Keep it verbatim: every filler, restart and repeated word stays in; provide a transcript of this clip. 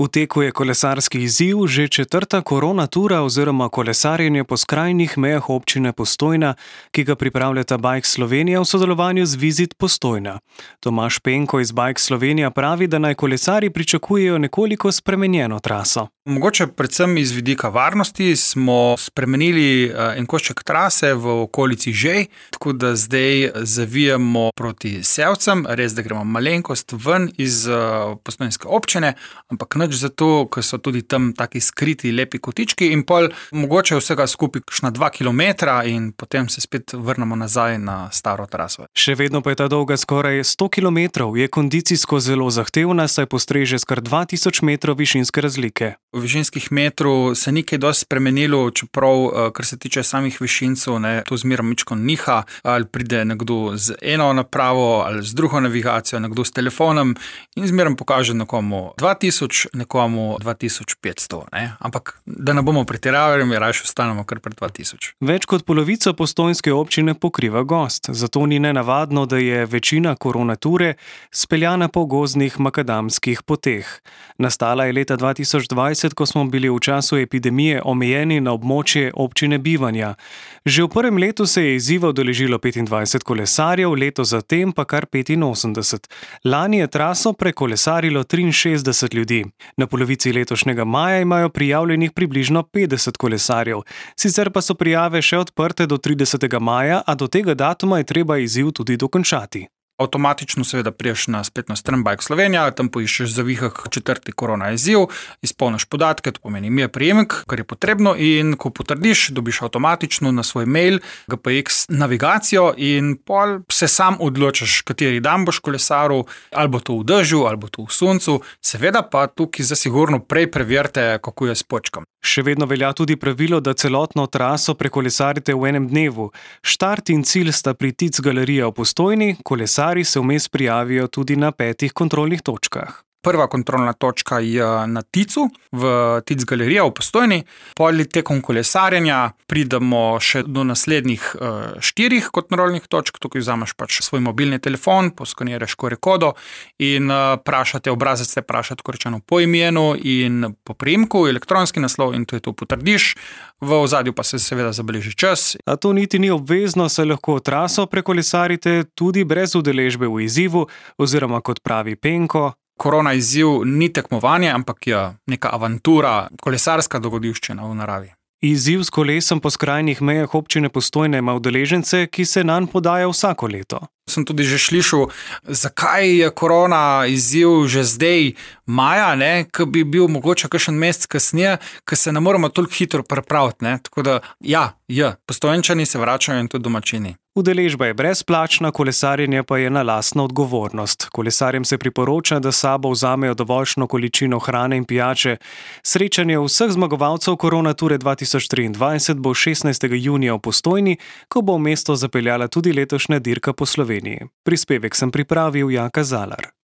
V teku je kolesarski izziv že četrta korona tura oziroma kolesarjenje po skrajnih mejah občine Postojna, ki ga pripravljata Bike Slovenija v sodelovanju z Visit Postojna. Tomaž Penko iz Bike Slovenija pravi, da naj kolesarji pričakujejo nekoliko spremenjeno traso. Mogoče predvsem iz vidika varnosti smo spremenili en košček trase v okolici Žej, tako da zdaj zavijamo proti Sevcem, res da gremo malenkost ven iz postojnske občine, ampak nič zato, ker so tudi tam taki skriti lepi kotički in pol mogoče vsega skupaj kakšna dva kilometra in potem se spet vrnemo nazaj na staro traso. Še vedno pa je ta dolga skoraj sto kilometrov, je kondicijsko zelo zahtevna, saj postreže s kar dva tisoč metrov višinske razlike. V višinskih metrov se ni kaj dosti spremenilo, čeprav, kar se tiče samih višincev, ne, to zmeraj mičko niha, ali pride nekdo z eno napravo, ali z drugo navigacijo, nekdo s telefonom in zmeraj pokaže nekomu dva tisoč, nekomu dva tisoč petsto, ne. Ampak, da ne bomo pretiravali, mi rajši ostanemo kar pred dva tisoč. Več kot polovico postojnske občine pokriva gozd, zato ni nenavadno, da je večina koronature speljana po gozdnih makadamskih poteh. Nastala je leta dva tisoč dvajset, ko smo bili v času epidemije omejeni na območje občine bivanja. Že v prvem letu se je izziva udeležilo petindvajset kolesarjev, leto zatem pa kar petinosemdeset. Lani je traso prekolesarilo triinšestdeset ljudi. Na polovici letošnjega maja imajo prijavljenih približno petdeset kolesarjev. Sicer pa so prijave še odprte do tridesetega maja, a do tega datuma je treba izziv tudi dokončati. Avtomatično seveda priješ na spletno stran Bike Slovenija, tam poiščeš zavihah četrti korona izziv, izpolniš podatke, to pomeni ime, priimek, kar je potrebno in ko potrdiš, dobiš avtomatično na svoj mail G P X navigacijo in pol se sam odločiš, kateri dan boš kolesaril, ali bo to v dežju, ali bo to v soncu, seveda pa tukaj zasigurno prej preverite, kako je s počkom. Še vedno velja tudi pravilo, da celotno traso prekolesarite v enem dnevu. Štart in cilj sta pri Tic galerija v Postojni, kolesarji se vmes prijavijo tudi na petih kontrolnih točkah. Prva kontrolna točka je na Ticu, v Tic galerija v Postojni. Pol tekom kolesarjenja pridemo še do naslednjih uh, štirih kontrolnih točk, tukaj vzameš pač svoj mobilni telefon, poskaniraš Q R kodo in uh, prašate, obrazec te praša tako rečeno po imenu in po priimku, elektronski naslov in to je to potrdiš. V ozadju pa se seveda zabeleži čas. A to niti ni obvezno, saj lahko traso prekolesarite tudi brez udeležbe v izzivu oziroma kot pravi Penko. Korona izziv ni tekmovanje, ampak je neka avantura, kolesarska dogodivščina v naravi. Izziv s kolesom po skrajnih mejah občine Postojna ima udeležence, ki se nanj podajo vsako leto. Sem tudi že slišal, zakaj je korona izziv že zdaj maja, ne, ko bi bil mogoče kakšen mesec kasneje, ko se ne moramo toliko hitro pripraviti, ne. Tako da, ja, je, Postojnčani se vračajo in tudi domačini. Udeležba je brezplačna, kolesarjenje pa je na lastno odgovornost. Kolesarjem se priporoča, da s sabo vzamejo dovoljšno količino hrane in pijače. Srečanje vseh zmagovalcev koronature dva tisoč triindvajset bo šestnajstega junija v Postojni, ko bo v mesto zapeljala tudi letošnja dirka po Sloveniji. Prispevek sem pripravil Jaka Zalar.